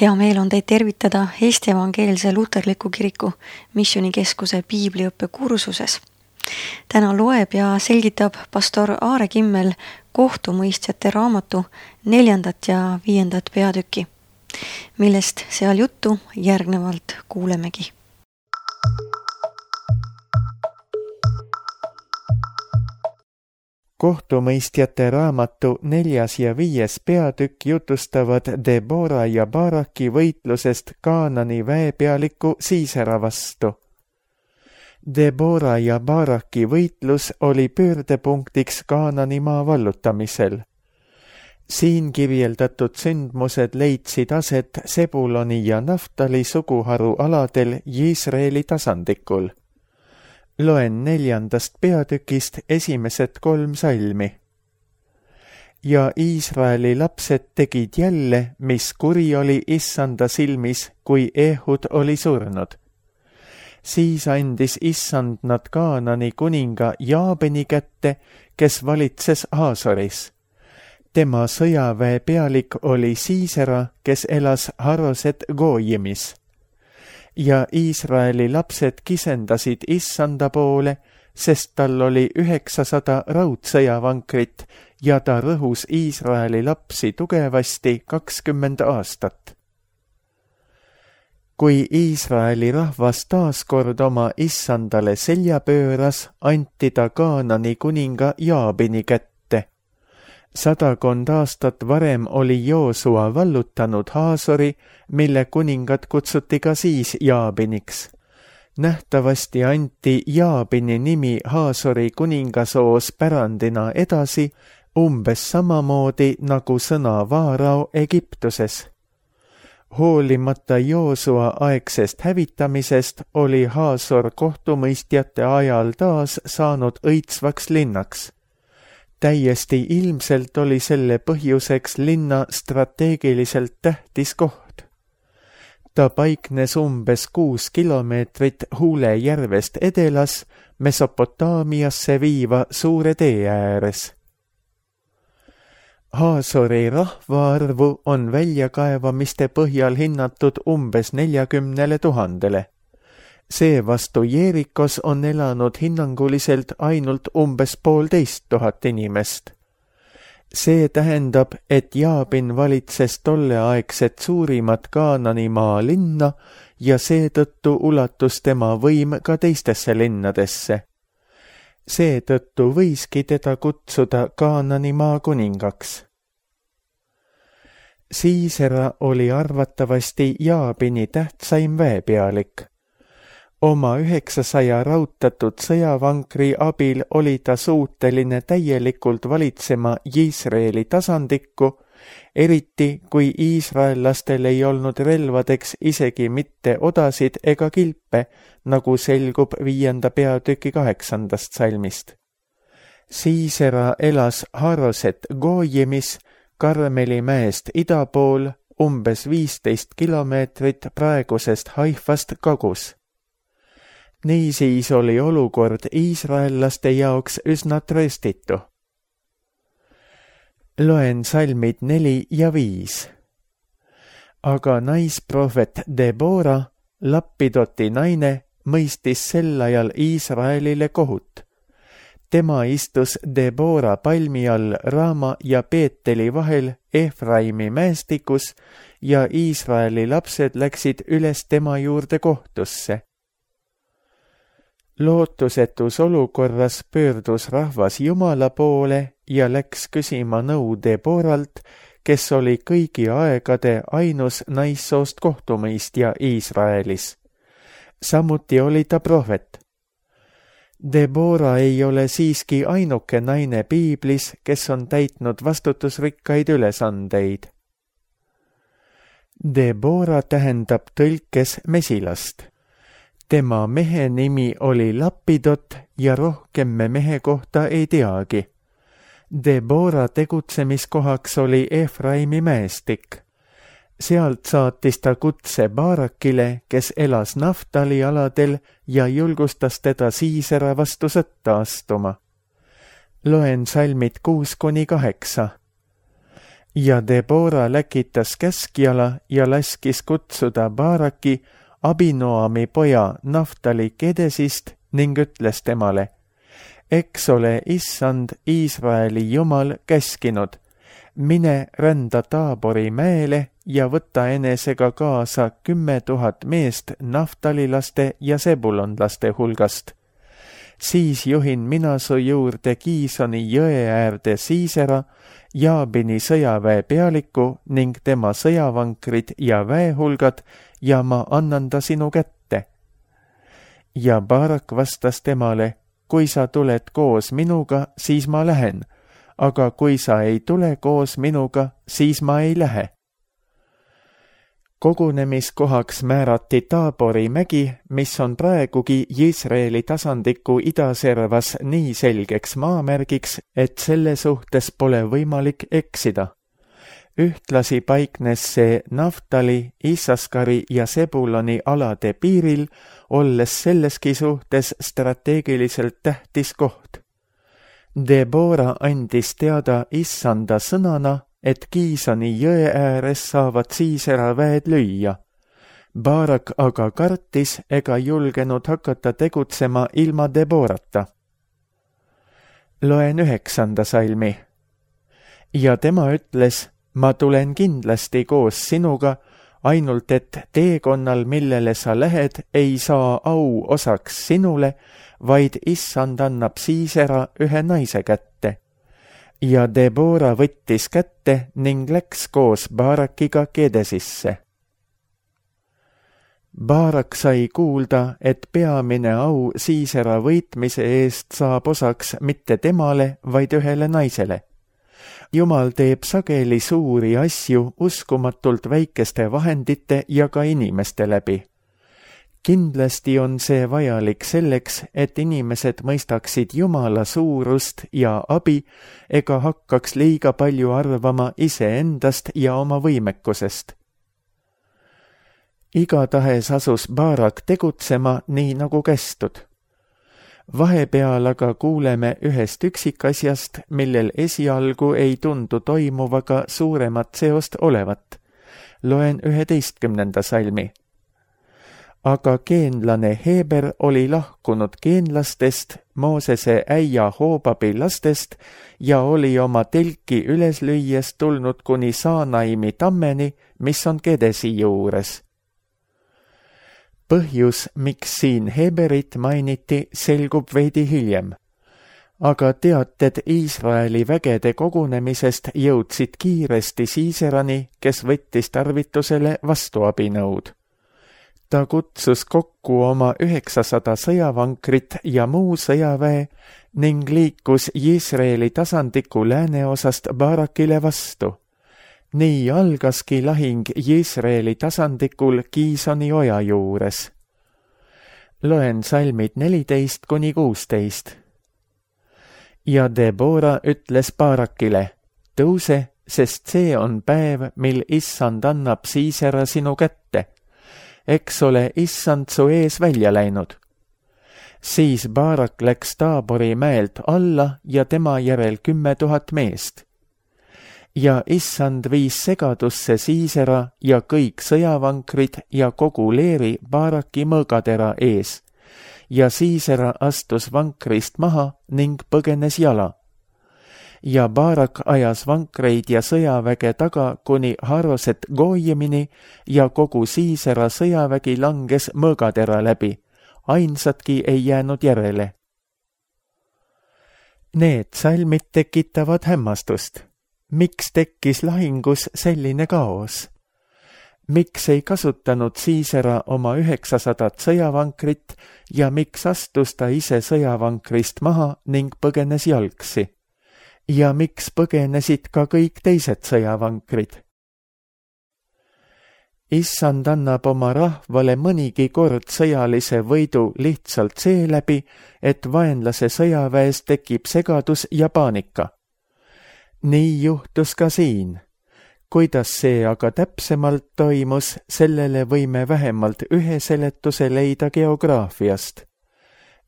Hea meel on teid tervitada Eesti Evangeelse Luterliku Kiriku Missioonikeskuse piibliõppe kursuses. Täna loeb ja selgitab pastor Aare Kimmel kohtumõistjate raamatu 4. ja 5. peatükki, millest seal juttu järgnevalt kuulemegi. Kohtumõistjate raamatu 4. ja 5. peatükk jutustavad Debora ja Baraki võitlusest Kaanani väepealiku Siisera vastu. Debora ja Baraki võitlus oli pöördepunktiks Kaanani maa vallutamisel. Siin kirjeldatud sündmused leidsid aset Sebuloni ja Naftali suguharu aladel Iisraeli tasandikul. Loen 4. peatükist esimesed 3 salmi. Ja Iisraeli lapsed tegid jälle, mis kuri oli Issanda silmis, kui Ehud oli surnud. Siis andis Issand nad Kaanani kuninga Jaabini kätte, kes valitses Haasoris. Tema sõjaväe pealik oli Siisera, kes elas Haroset Goojimis. Ja Iisraeli lapsed kisendasid Issanda poole, sest tal oli 900 raudsõjavankrit ja ta rõhus Iisraeli lapsi tugevasti 20 aastat. Kui Iisraeli rahvas taaskord oma Issandale selja pööras, anti ta Kaanani kuninga Jaabini kätte. 100 aastat varem oli Joosua vallutanud Haasori, mille kuningat kutsuti ka siis Jaabiniks. Nähtavasti anti Jaabini nimi Haasori kuningasoos pärandina edasi, umbes samamoodi nagu sõna Vaarao Egiptuses. Hoolimata Joosua aegsest hävitamisest oli Haasor kohtumõistjate ajal taas saanud õitsvaks linnaks. Täiesti ilmselt oli selle põhjuseks linna strateegiliselt tähtis koht. Ta paiknes umbes 6 kilomeetrit Huule järvest edelas Mesopotaamiasse viiva suure tee ääres. Haasori rahvaarvu on väljakaevamiste põhjal hinnatud umbes 40 000. Seevastu Jeerikos on elanud hinnanguliselt ainult umbes 1,500 inimest. See tähendab, et Jaabin valitses tolleaegset suurimat Kaananimaa linna ja seetõttu ulatus tema võim ka teistesse linnadesse. Seetõttu võiski teda kutsuda Kaananimaa kuningaks. Siisera oli arvatavasti Jaabini tähtsaim väepealik. Oma 900 rautatud sõjavankri abil oli ta suuteline täielikult valitsema Iisraeli tasandikku, eriti kui iisraellastel ei olnud relvadeks isegi mitte odasid ega kilpe, nagu selgub 5. peatüki 8. salmist. Siisera elas Haroset Goojimis, Karmeli mäest ida pool, umbes 15 kilomeetrit praegusest Haifast kagus. Niisiis oli olukord iisraellaste jaoks üsna trööstitu. Loen salmid 4 ja 5. Aga naisprohvet Debora, Lappidoti naine, mõistis sel ajal Iisraelile kohut. Tema istus Debora palmi all Raama ja Peeteli vahel Efraimi mäestikus ja Iisraeli lapsed läksid üles tema juurde kohtusse. Lootusetus olukorras pöördus rahvas Jumala poole ja läks küsima nõu Deboralt, kes oli kõigi aegade ainus naissoost kohtumõistja Iisraelis. Samuti oli ta prohvet. Debora ei ole siiski ainuke naine piiblis, kes on täitnud vastutusrikkaid ülesandeid. Debora tähendab tõlkes mesilast. Tema mehe nimi oli Lappidot ja rohkem me mehe kohta ei teagi. Debora tegutsemiskohaks oli Efraimi mäestik. Sealt saatis ta kutse Barakile, kes elas Naftali aladel ja julgustas teda Siisera vastu sõtta astuma. Loen salmid 6-8. Ja Debora läkitas käskjala ja laskis kutsuda Baraki, Abinoami poja Naftali Kedesist ning ütles temale: eks ole Issand, Iisraeli Jumal, käskinud: mine rända Taabori mäele ja võta enesega kaasa 10 000 meest naftalilaste ja sebulonlaste hulgast. Siis juhin mina su juurde Kiisoni jõe äärde Siisera, Jaabini sõjaväe pealiku ning tema sõjavankrid ja väehulgad ja ma annan ta sinu kätte. Ja Barak vastas temale: kui sa tuled koos minuga, siis ma lähen, aga kui sa ei tule koos minuga, siis ma ei lähe. Kogunemiskohaks määrati Taabori mägi, mis on praegugi Iisraeli tasandiku idaservas nii selgeks maamärgiks, et selle suhtes pole võimalik eksida. Ühtlasi paiknes see Naftali, Issaskari ja Sebuloni alade piiril, olles selleski suhtes strateegiliselt tähtis koht. Debora andis teada Issanda sõnana, et Kiisoni jõe ääres saavad Siisera väed lüüa. Barak aga kartis ega julgenud hakata tegutsema ilma Deborata. Loen 9. salmi. Ja tema ütles: ma tulen kindlasti koos sinuga, ainult et teekonnal, millele sa lähed, ei saa au osaks sinule, vaid Issand annab Siisera ühe naise kätte. Ja Debora võttis kätte ning läks koos Barakiga Kedesisse. Barak sai kuulda, et peamine au Siisera võitmise eest saab osaks mitte temale, vaid ühele naisele. Jumal teeb sageli suuri asju uskumatult väikeste vahendite ja ka inimeste läbi. Kindlasti on see vajalik selleks, et inimesed mõistaksid Jumala suurust ja abi ega hakkaks liiga palju arvama iseendast ja oma võimekusest. Igatahes asus Barak tegutsema nii nagu kästud. Vahepeal aga kuuleme ühest üksikasjast, millel esialgu ei tundu toimuvaga suuremat seost olevat. Loen 11. salmi. Aga geenlane Heber oli lahkunud geenlastest, Moosese äia Hoobabi lastest ja oli oma telki üles lüües tulnud kuni Saanaimi tammeni, mis on Kedesi juures. Põhjus, miks siin Heberit mainiti, selgub veidi hiljem. Aga teated Iisraeli vägede kogunemisest jõudsid kiiresti Siiserani, kes võttis tarvitusele vastuabinõud. Ta kutsus kokku oma 900 sõjavankrit ja muu sõjaväe ning liikus Iisraeli tasandiku lääneosast Barakile vastu. Nii algaski lahing Iisraeli tasandikul Kiisoni oja juures. Loen salmid 14-16. Ja Debora ütles Barakile: tõuse, sest see on päev, mil Issand annab Siisera sinu kätte. Eks ole Issand su ees välja läinud. Siis Barak läks Taabori mäelt alla ja tema järel 10 000 meest. Ja Issand viis segadusse Siisera ja kõik sõjavankrid ja kogu leeri Baraki mõõgatera ees. Ja Siisera astus vankrist maha ning põgenes jala. Ja Barak ajas vankreid ja sõjaväge taga kuni Haroset Goiemini ja kogu Siisera sõjavägi langes mõõgatera läbi. Ainsatki ei jäänud järele. Need salmid tekitavad hämmastust. Miks tekkis lahingus selline kaos? Miks ei kasutanud Siisera oma 900 sõjavankrit ja miks astus ta ise sõjavankrist maha ning põgenes jalgsi? Ja miks põgenesid ka kõik teised sõjavankrid? Issand annab oma rahvale mõnigi kord sõjalise võidu lihtsalt seeläbi, et vaenlase sõjaväes tekib segadus ja paanika. Nii juhtus ka siin. Kuidas see aga täpsemalt toimus, sellele võime vähemalt ühe seletuse leida geograafiast.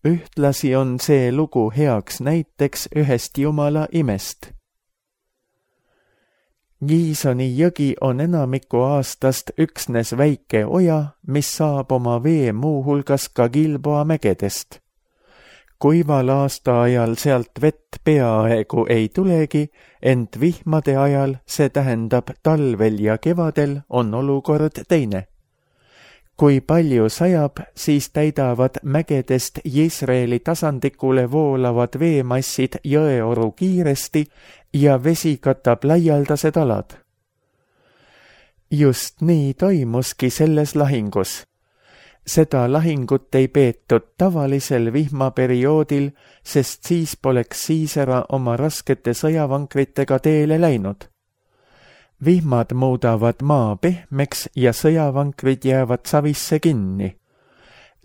Ühtlasi on see lugu heaks näiteks ühest Jumala imest. Giisoni jõgi on enamiku aastast üksnes väike oja, mis saab oma vee muuhulgas ka Gilboa mägedest. Kuival aastaajal sealt vett peaaegu ei tulegi, ent vihmade ajal, see tähendab talvel ja kevadel, on olukord teine. Kui palju sajab, siis täidavad mägedest Jisraeli tasandikule voolavad veemassid jõeoru kiiresti ja vesi katab laialdased alad. Just nii toimuski selles lahingus. Seda lahingut ei peetud tavalisel vihmaperioodil, sest siis poleks Siisera oma raskete sõjavankritega teele läinud. Vihmad muudavad maa pehmeks ja sõjavankrid jäävad savisse kinni.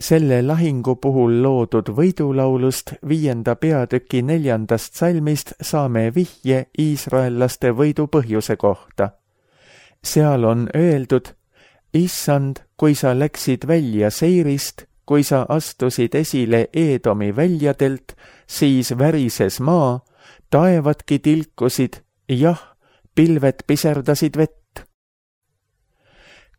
Selle lahingu puhul loodud võidulaulust 5. peatüki 4. salmist saame vihje iisraellaste võidu põhjuse kohta. Seal on öeldud: Issand, kui sa läksid välja Seirist, kui sa astusid esile Eedomi väljadelt, siis värises maa, taevadki tilkusid, jah, pilved piserdasid vett.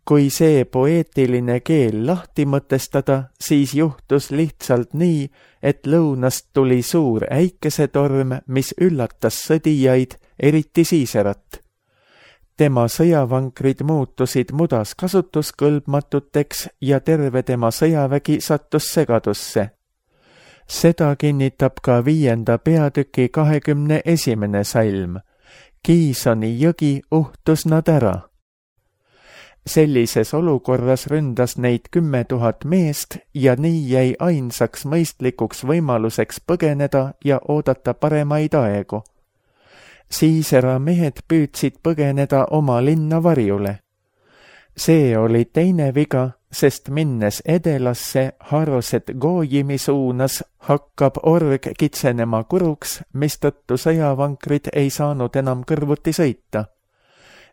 Kui see poeetiline keel lahti mõtestada, siis juhtus lihtsalt nii, et lõunast tuli suur äikesetorm, mis üllatas sõdijaid, eriti Siiserat. Tema sõjavankrid muutusid mudas kasutuskõlbmatuteks ja terve tema sõjavägi sattus segadusse. Seda kinnitab ka 5. peatüki 21. salm. Giisoni jõgi uhtus nad ära. Sellises olukorras ründas neid 10 000 meest ja nii jäi ainsaks mõistlikuks võimaluseks põgeneda ja oodata paremaid aegu. Siisera mehed püüdsid põgeneda oma linna varjule. See oli teine viga, sest minnes edelasse Haroset Goojimi suunas hakkab org kitsenema kuruks, mistõttu sõjavankrid ei saanud enam kõrvuti sõita.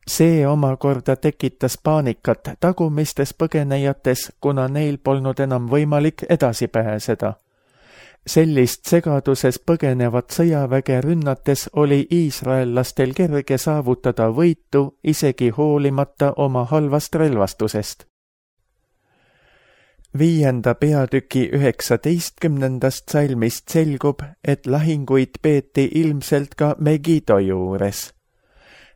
See omakorda tekitas paanikat tagumistes põgenejates, kuna neil polnud enam võimalik edasi pääseda. Sellist segaduses põgenevat sõjaväge rünnates oli iisraellastel kerge saavutada võitu isegi hoolimata oma halvast relvastusest. 5. peatüki 19. salmist selgub, et lahinguid peeti ilmselt ka Megido juures.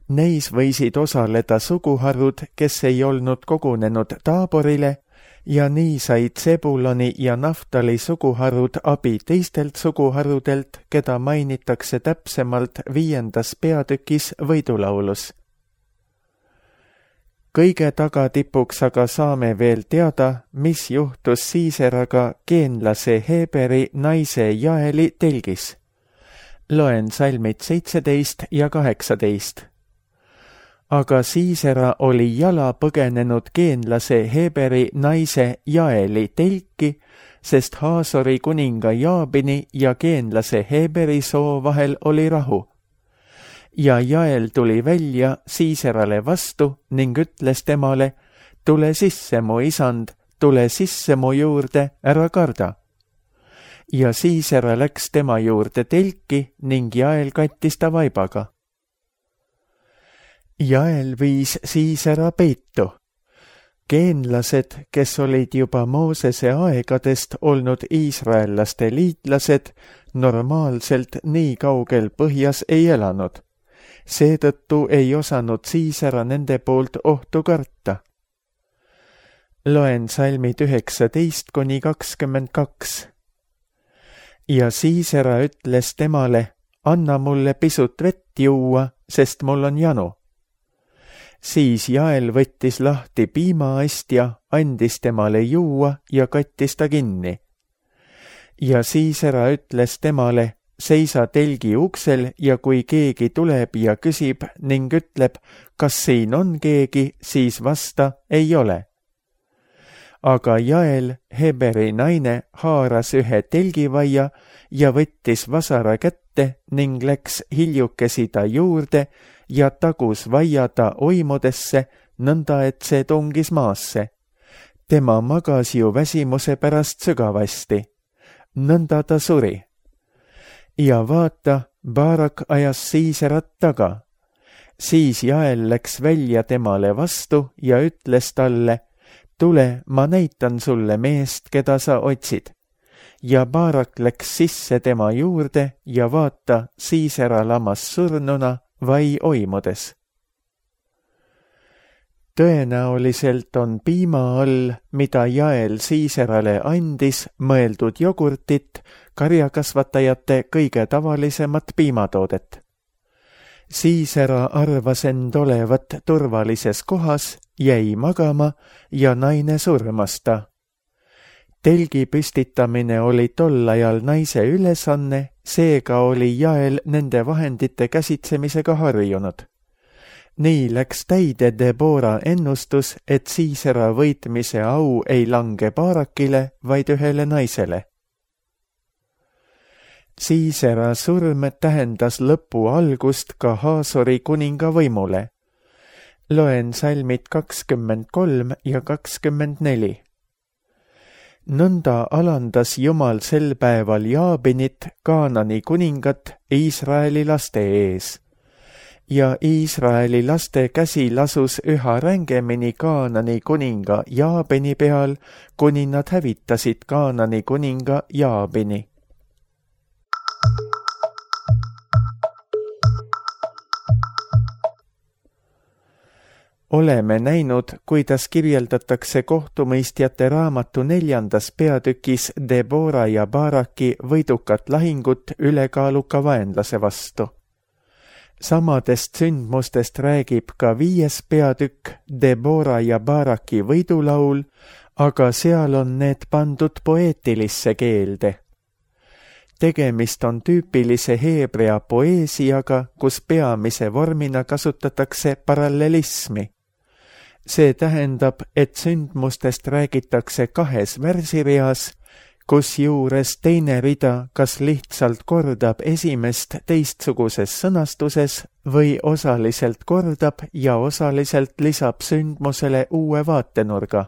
Neis võisid osaleda suguharud, kes ei olnud kogunenud Taaborile, ja nii said Zebuloni ja Naftali suguharud abi teistelt suguharudelt, keda mainitakse täpsemalt 5. peatükis võidulaulus. Kõige tagatipuks aga saame veel teada, mis juhtus Siiseraga geenlase Heberi naise Jaeli telgis. Loen salmid 17 ja 18. Aga Siisera oli jala põgenenud geenlase Heberi naise Jaeli telki, sest Haasori kuninga Jaabini ja geenlase Heberi soo vahel oli rahu. Ja Jael tuli välja Siiserale vastu ning ütles temale: tule sisse, mu isand, tule sisse mu juurde, ära karda. Ja Siisera läks tema juurde telki ning Jael kattis ta vaibaga. Jael viis Siisera peitu. Geenlased, kes olid juba Moosese aegadest olnud iisraellaste liitlased, normaalselt nii kaugel põhjas ei elanud. Seetõttu ei osanud Siisera nende poolt ohtu karta. Loen salmid 19-22. Ja Siisera ütles temale: anna mulle pisut vett juua, sest mul on janu. Siis Jael võttis lahti piimaastja, andis temale juua ja kattis ta kinni. Ja Siisera ütles temale: seisa telgi uksel ja kui keegi tuleb ja küsib ning ütleb, kas siin on keegi, siis vasta, ei ole. Aga Jael, Heberi naine, haaras ühe telgivaia ja võttis vasara kätte ning läks hiljukesi ta juurde ja tagus vaia ta oimudesse, nõnda et see tungis maasse. Tema magas ju väsimuse pärast sügavasti. Nõnda ta suri. Ja vaata, Baarak ajas Siiserat taga. Siis Jael läks välja temale vastu ja ütles talle, tule, ma näitan sulle meest, keda sa otsid. Ja Baarak läks sisse tema juurde ja vaata, Siisera lamas surnuna vai oimudes. Tõenäoliselt on piima all, mida Jael Siiserale andis, mõeldud jogurtit, karjakasvatajate kõige tavalisemat piimatoodet. Siisera arvas end olevat turvalises kohas, jäi magama ja naine surmas ta. Telgi püstitamine oli tol ajal naise ülesanne, seega oli Jael nende vahendite käsitsemisega harjunud. Nii läks täide Debora ennustus, et Siisera võitmise au ei lange Baarakile, vaid ühele naisele. Siisera surm tähendas lõpu algust ka Haasori kuninga võimule. Loen salmid 23 ja 24. Nõnda alandas Jumal sel päeval Jaabinit, Kaanani kuningat, Iisraeli laste ees. Ja Iisraeli laste käsi lasus üha rängemini Kaanani kuninga Jaabini peal, kuni nad hävitasid Kaanani kuninga Jaabini. Oleme näinud, kuidas kirjeldatakse kohtumõistjate raamatu 4. peatükis Debora ja Baaraki võidukat lahingut ülekaaluka vaenlase vastu. Samadest sündmustest räägib ka 5. peatükk Debora ja Baaraki võidulaul, aga seal on need pandud poeetilisse keelde. Tegemist on tüüpilise heebrea poeesiaga, kus peamise vormina kasutatakse parallelismi. See tähendab, et sündmustest räägitakse 2 värsireas, kus juures teine rida kas lihtsalt kordab esimest teistsuguses sõnastuses või osaliselt kordab ja osaliselt lisab sündmusele uue vaatenurga.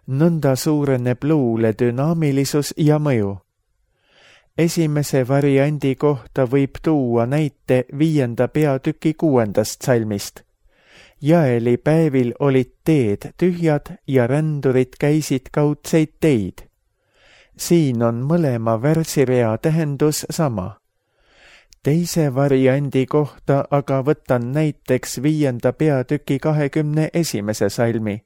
Nõnda suureneb luule dünaamilisus ja mõju. Esimese variandi kohta võib tuua näite 5. peatüki 6. salmist. Jaeli päevil olid teed tühjad ja rändurid käisid kaudseid teid. Siin on mõlema värsirea tähendus sama. Teise variandi kohta aga võtan näiteks 5. peatüki 21. salmi.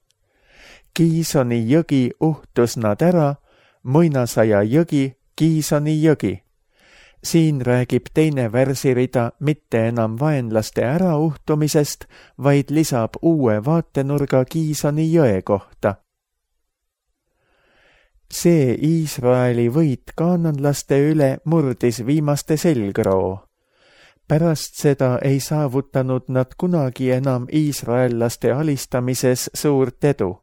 Kiisoni jõgi uhtus nad ära, muinasaja jõgi, Kiisoni jõgi. Siin räägib teine värsirida mitte enam vaenlaste ärauhtumisest, vaid lisab uue vaatenurga Kiisoni jõe kohta. See Iisraeli võit kaananlaste üle murdis viimaste selgroo. Pärast seda ei saavutanud nad kunagi enam iisraellaste alistamises suurt edu.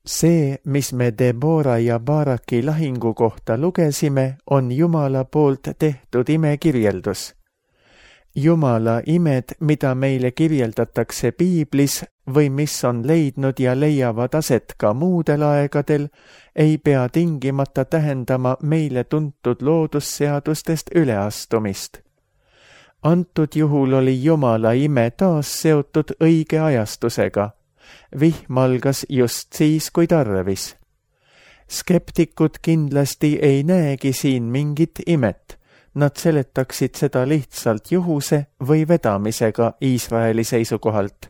See, mis me Debora ja Baaraki lahingu kohta lugesime, on Jumala poolt tehtud imekirjeldus. Jumala imed, mida meile kirjeldatakse piiblis või mis on leidnud ja leiavad aset ka muudel aegadel, ei pea tingimata tähendama meile tuntud loodusseadustest üleastumist. Antud juhul oli Jumala ime taas seotud õige ajastusega. Vihm algas just siis, kui tarvis. Skeptikud kindlasti ei näegi siin mingit imet. Nad seletaksid seda lihtsalt juhuse või vedamisega Iisraeli seisukohalt.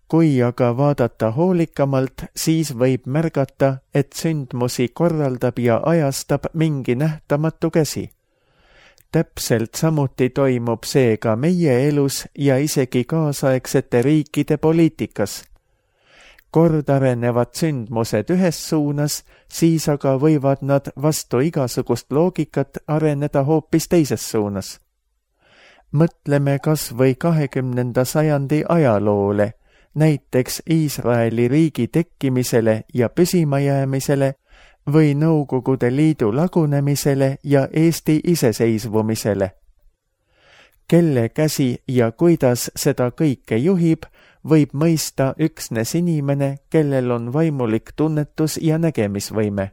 Kui aga vaadata hoolikamalt, siis võib märgata, et sündmusi korraldab ja ajastab mingi nähtamatu käsi. Täpselt samuti toimub see ka meie elus ja isegi kaasaegsete riikide poliitikas. Kord arenevad sündmused ühes suunas, siis aga võivad nad vastu igasugust loogikat areneda hoopis teises suunas. Mõtleme kas või 20. sajandi ajaloole, näiteks Iisraeli riigi tekkimisele ja püsimajäämisele või Nõukogude Liidu lagunemisele ja Eesti iseseisvumisele. Kelle käsi ja kuidas seda kõike juhib, võib mõista üksnes inimene, kellel on vaimulik tunnetus ja nägemisvõime.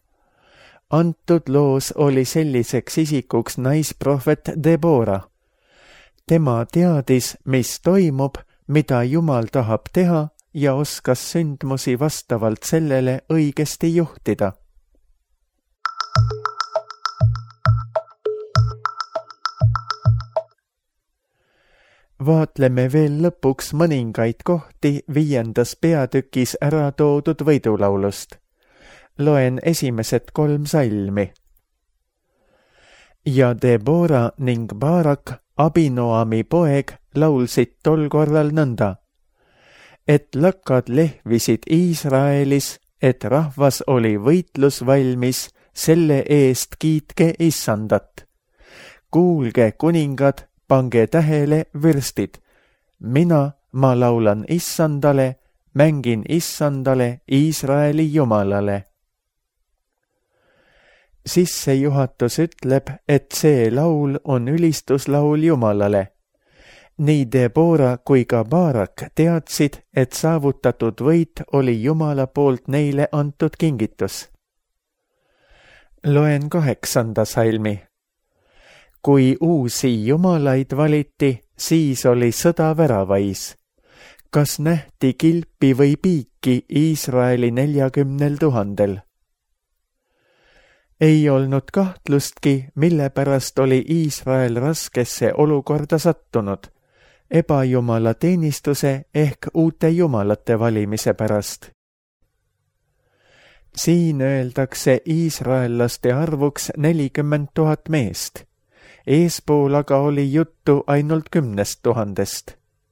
Antud loos oli selliseks isikuks naisprohvet Debora. Tema teadis, mis toimub, mida Jumal tahab teha ja oskas sündmusi vastavalt sellele õigesti juhtida. Vaatleme veel lõpuks mõningaid kohti 5. peatükis ära toodud võidulaulust. Loen esimesed 3 salmi. Ja Debora ning Barak, Abinoami poeg, laulsid tol korral nõnda, et lakkad lehvisid Iisraelis, et rahvas oli võitlusvalmis, selle eest kiitke Issandat. Kuulge, kuningad, pange tähele, vürstid. Ma laulan Issandale, mängin Issandale, Iisraeli Jumalale. Sissejuhatus ütleb, et see laul on ülistuslaul Jumalale. Nii Debora kui ka Barak teadsid, et saavutatud võit oli Jumala poolt neile antud kingitus. Loen 8. salmi. Kui uusi jumalaid valiti, siis oli sõda väravais. Kas nähti kilpi või piiki Iisraeli 40 000? Ei olnud kahtlustki, mille pärast oli Iisrael raskesse olukorda sattunud, ebajumala teenistuse ehk uute jumalate valimise pärast. Siin öeldakse iisraellaste arvuks 40 000 meest. Eespool aga oli juttu ainult 10 000,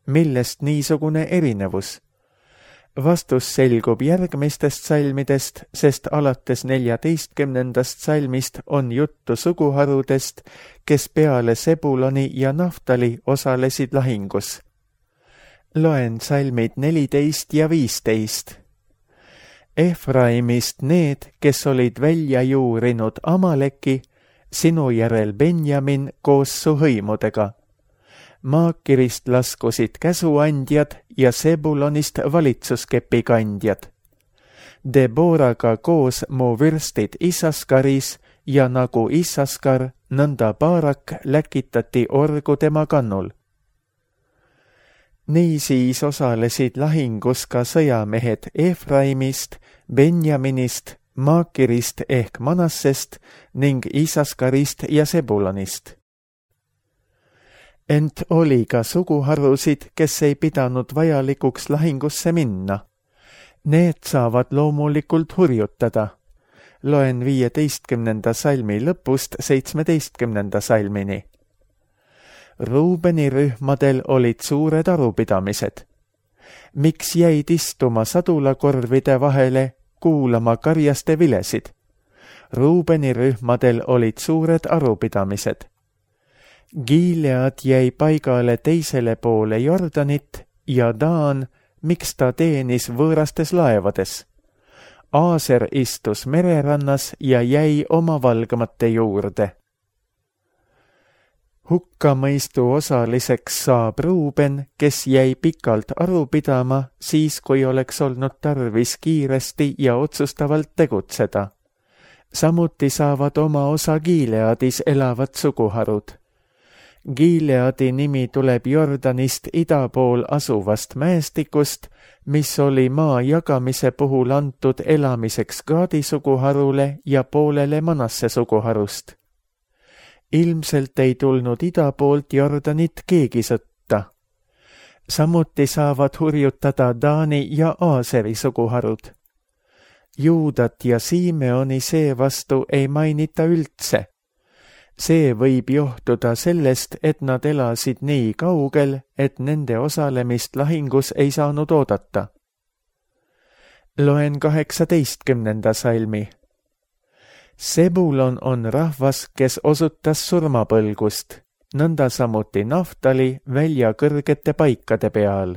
millest niisugune erinevus. Vastus selgub järgmistest salmidest, sest alates 14. salmist on juttu suguharudest, kes peale Sebuloni ja Naftali osalesid lahingus. Loen salmid 14 ja 15. Efraimist need, kes olid välja juurinud Amaleki, sinu järel Benjamin koos su hõimudega. Maakirist laskusid käsuandjad ja Sebulonist valitsuskepi kandjad. Deboraga koos mu vürstid Issaskaris ja nagu Issaskar, nõnda Barak läkitati orgu tema kannul. Niisiis osalesid lahingus ka sõjamehed Efraimist, Benjaminist, Maakirist ehk Manassest ning Issaskarist ja Sebulonist. Ent oli ka suguharusid, kes ei pidanud vajalikuks lahingusse minna. Need saavad loomulikult hurjutada. Loen 15. salmi lõpust 17. salmini. Ruubeni rühmadel olid suured arupidamised. Miks jäid istuma sadulakorvide vahele, kuulama karjaste vilesid? Ruubeni rühmadel olid suured arupidamised. Gilead jäi paigale teisele poole Jordanit ja Daan, miks ta teenis võõrastes laevades. Aaser istus mererannas ja jäi oma valgamate juurde. Hukkamõistu osaliseks saab Ruuben, kes jäi pikalt aru pidama, siis kui oleks olnud tarvis kiiresti ja otsustavalt tegutseda. Samuti saavad oma osa Gileadis elavad suguharud. Gileadi nimi tuleb Jordanist ida pool asuvast mäestikust, mis oli maa jagamise puhul antud elamiseks Gaadi suguharule ja poolele Manasse suguharust. Ilmselt ei tulnud ida poolt Jordanit keegi sõtta. Samuti saavad hurjutada Daani ja Aaseri suguharud. Juudat ja Simeoni seevastu ei mainita üldse. See võib johtuda sellest, et nad elasid nii kaugel, et nende osalemist lahingus ei saanud oodata. Loen 18. salmi. Sebulon on rahvas, kes osutas surmapõlgust, nõnda samuti Naftali välja kõrgete paikade peal.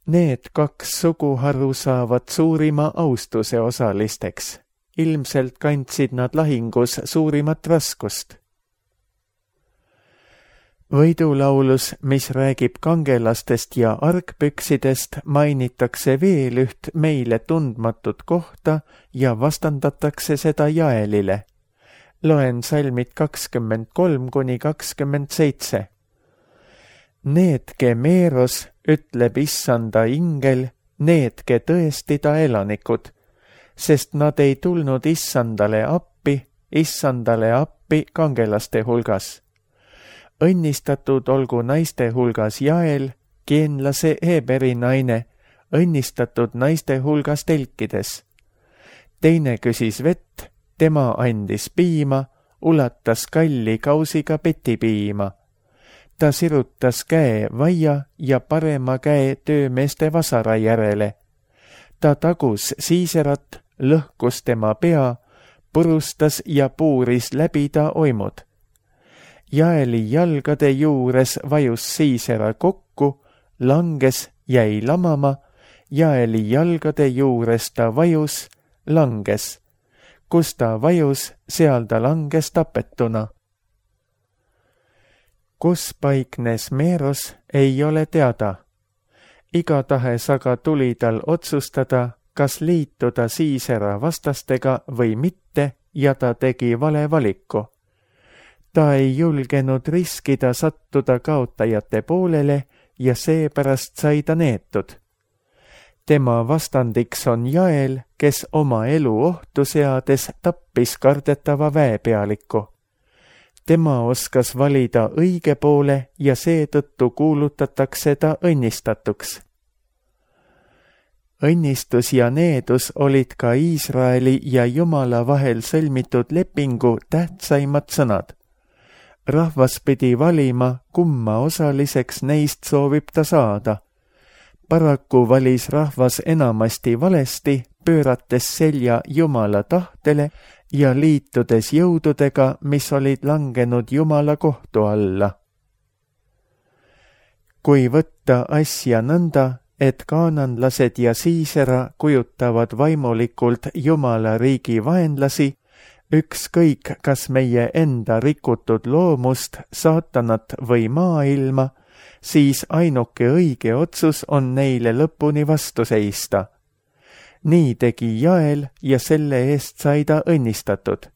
Need 2 suguharu saavad suurima austuse osalisteks. Ilmselt kandsid nad lahingus suurimat raskust. Võidulaulus, mis räägib kangelastest ja argpüksidest, mainitakse veel üht meile tundmatut kohta ja vastandatakse seda Jaelile. Loen salmid 23 kuni 27. Needke meeros, ütleb issanda ingel, needke tõesti ta elanikud, sest nad ei tulnud issandale appi kangelaste hulgas. Õnnistatud olgu naiste hulgas Jael, keenlase Heberi naine, õnnistatud naiste hulgas telkides. Teine küsis vett, tema andis piima, ulatas kalli kausiga petipiima. Ta sirutas käe vaia ja parema käe töömeeste vasara järele. Ta tagus Siiserat, lõhkus tema pea, purustas ja puuris läbi ta oimud. Jaeli jalgade juures vajus Siisera kokku, langes, jäi lamama, Jaeli jalgade juures ta vajus, langes. Kus ta vajus, seal ta langes tapetuna. Kus paiknes Meeros, ei ole teada. Igatahes aga tuli tal otsustada, kas liituda Siisera vastastega või mitte, ja ta tegi vale valiku. Ta ei julgenud riskida sattuda kaotajate poolele ja seepärast sai ta neetud. Tema vastandiks on Jael, kes oma elu ohtu seades tappis kardetava väepealiku. Tema oskas valida õige poole ja seetõttu kuulutatakse ta õnnistatuks. Õnnistus ja needus olid ka Iisraeli ja Jumala vahel sõlmitud lepingu tähtsaimad sõnad. Rahvas pidi valima, kumma osaliseks neist soovib ta saada. Paraku valis rahvas enamasti valesti, pöörates selja Jumala tahtele ja liitudes jõududega, mis olid langenud Jumala kohtu alla. Kui võtta asja nõnda, et kaananlased ja Siisera kujutavad vaimulikult Jumala riigi vaenlasi, ükskõik kas meie enda rikutud loomust, saatanat või maailma, siis ainuke õige otsus on neile lõpuni vastu seista. Nii tegi Jael ja selle eest sai ta õnnistatud.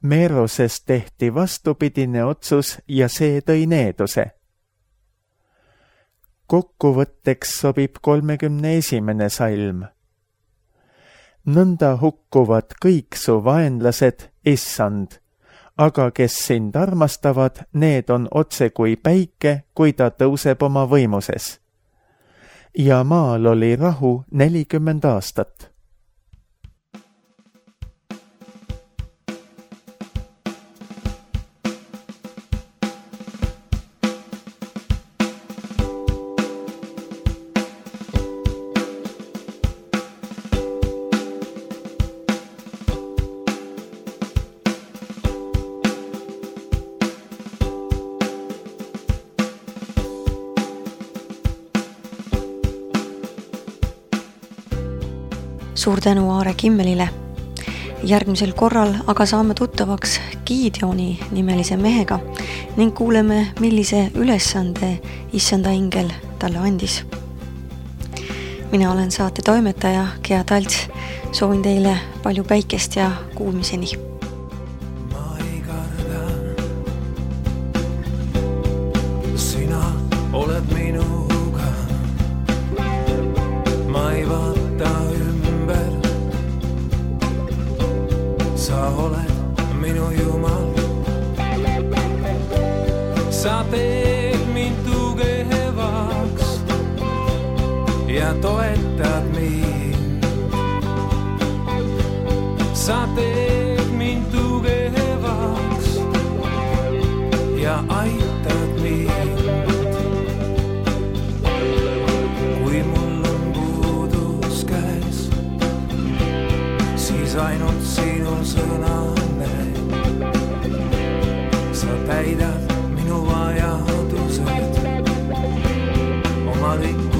Meerosest tehti vastupidine otsus ja see tõi needuse. Kokkuvõtteks sobib 31. salm. Nõnda hukkuvad kõik su vaenlased, issand, aga kes sind armastavad, need on otse kui päike, kui ta tõuseb oma võimuses. Ja maal oli rahu 40 aastat. Suur tänu Aare Kimmelile. Järgmisel korral aga saame tuttavaks Gideoni nimelise mehega ning kuuleme, millise ülesande issanda ingel talle andis. Mina olen saate toimetaja Gea Talts. Soovin teile palju päikest ja kuulmiseni. Ma ei karda, sina oled minuga. Ma ei vaata ümber, sa oled minu Jumal. Sa teed mind tugevaks ja toetad mind. Sa teed mind tugevaks ja aitad mind. Kui mul on puudus käes, siis ainult sinu sõna näeb. Sa täidad minu vajadused oma rikkused.